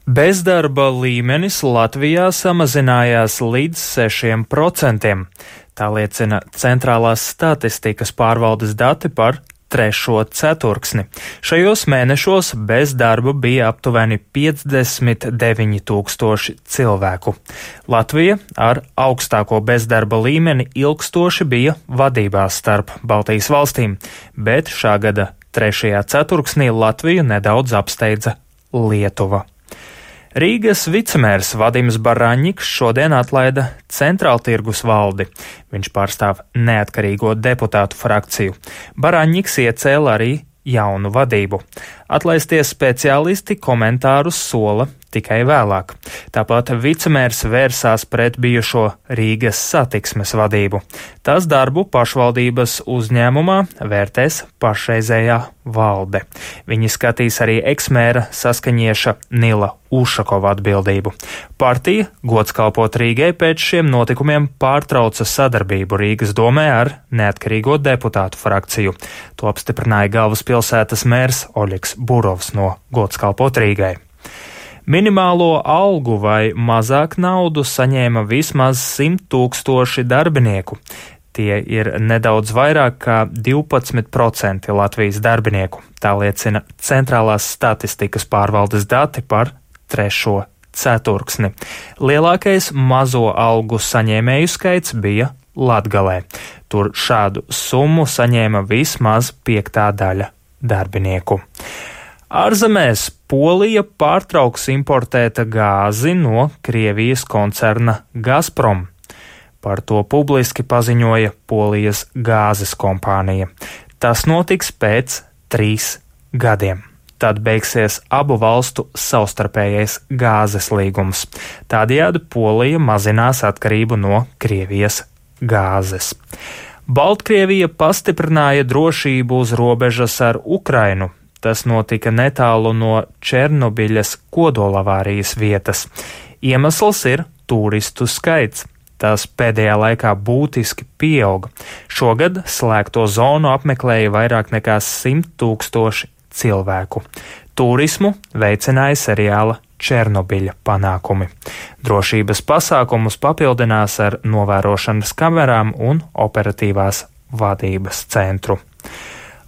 Bezdarba līmenis Latvijā samazinājās līdz 6%. Tā liecina Centrālās statistikas pārvaldes dati par 3. ceturksni. Šajos mēnešos bez darba bija aptuveni 59 000 cilvēku. Latvija ar augstāko bezdarba līmeni ilgstoši bija vadībā starp Baltijas valstīm, bet šā gada 3. ceturksnī Latviju nedaudz apsteidza Lietuva. Rīgas vicemērs Vadims Baraņiks šodien atlaida Centrāltirgus valdi. Viņš pārstāv neatkarīgo deputātu frakciju. Baraņiks iecēla arī jaunu vadību. Atlaisties speciālisti komentārus sola tikai vēlāk. Tāpat vicemērs vērsās pret bijušo Rīgas satiksmes vadību. Tās darbu pašvaldības uzņēmumā vērtēs pašreizējā valde. Viņi skatīs arī eksmēra saskaņieša Nila Ušakova atbildību. Partija gods kalpot Rīgai pēc šiem notikumiem pārtrauca sadarbību Rīgas domē ar neatkarīgo deputātu frakciju. To apstiprināja galvaspilsētas mērs Oļegs Burovs no gods kalpot Rīgai. Minimālo algu vai mazāk naudu saņēma vismaz 100 000 darbinieku. Tie ir nedaudz vairāk kā 12% Latvijas darbinieku. Tā liecina Centrālās statistikas pārvaldes dati par 3. ceturksni. Lielākais mazo algu saņēmēju skaits bija Latgalē. Tur šādu summu saņēma vismaz 5/5 darbinieku. Ārzemēs Polija pārtrauks importēt gāzi no Krievijas koncerna Gazprom. Par to publiski paziņoja Polijas gāzes kompānija. Tas notiks pēc 3 gadiem. Tad beigsies abu valstu savstarpējais gāzes līgums. Tādējādi Polija mazinās atkarību no Krievijas gāzes. Baltkrievija pastiprināja drošību uz robežas ar Ukrainu. Tas notika netālu no Černobiļas kodolavārijas vietas. Iemesls ir turistu skaits. Tas pēdējā laikā būtiski pieauga. Šogad slēgto zonu apmeklēja vairāk nekā 100 000 cilvēku. Turismu veicināja seriāla Černobiļa panākumi. Drošības pasākumus papildinās ar novērošanas kamerām un operatīvās vadības centru.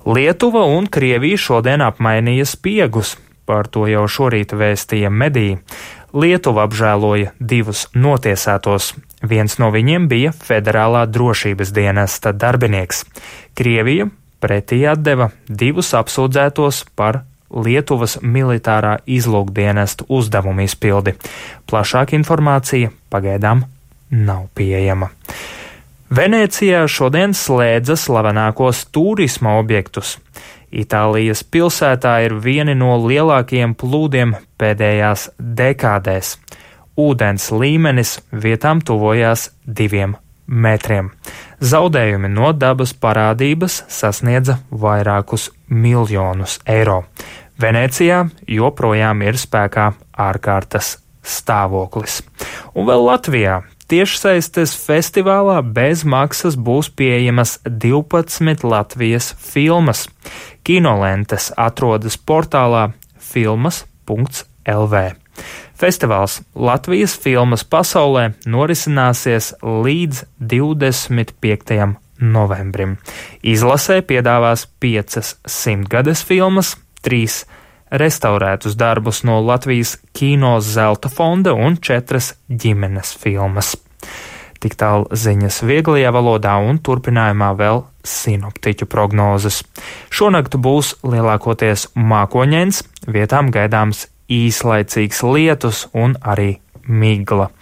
Lietuva un Krievija šodien apmainīja spiegus, par to jau šorīt vēstīja mediji. Lietuva apžēloja 2 notiesātos. Viens no viņiem bija Federālā drošības dienesta darbinieks. Krievija pretī atdeva 2 apsūdzētos par Lietuvas militārā izlūkdienesta uzdevumu izpildi. Plašāka informācija pagaidām nav pieejama. Venēcijā šodien slēdza slavenākos turisma objektus. Itālijas pilsētā ir vieni no lielākajiem plūdiem pēdējās dekādēs. Ūdens līmenis vietām tuvojās 2 metriem. Zaudējumi no dabas parādības sasniedza vairākus miljonus eiro. Venēcijā joprojām ir spēkā ārkārtas stāvoklis. Un vēl Latvijā tiešsaistes festivālā bez maksas būs pieejamas 12 Latvijas filmas. Kinolentes atrodas portālā filmas.lv. Festivāls Latvijas filmas pasaulē norisināsies līdz 25. novembrim. Izlasē piedāvās 5 100-gades filmas, 3 restaurētus darbus no Latvijas kino zelta fonda un 4 ģimenes filmas. Tik tālu ziņas vieglajā valodā un turpinājumā vēl sinoptiķu prognozes. Šonakt būs lielākoties mākoņains, vietām gaidāms īslaicīgs lietus un arī migla.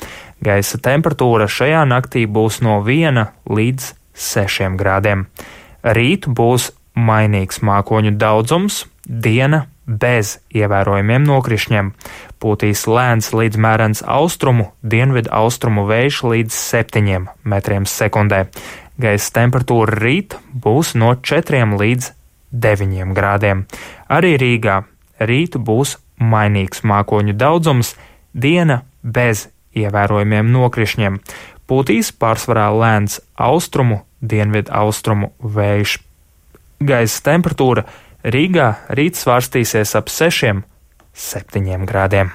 Gaisa temperatūra šajā naktī būs no 1 līdz 6 grādiem. Rīt būs mainīgs mākoņu daudzums, diena bez ievērojumiem nokrišņiem. Pūtīs lēns līdz mērens austrumu, dienvidu austrumu vējš līdz 7 metriem sekundē. Gaisa temperatūra rīt būs no 4 līdz 9 grādiem. Arī Rīgā rīt būs mainīgs mākoņu daudzums, diena bez ievērojumiem nokrišņiem. Pūtīs pārsvarā lēns austrumu, dienvidu austrumu vējš. Gaisa temperatūra Rīgā rīt svārstīsies ap 6–7 grādiem.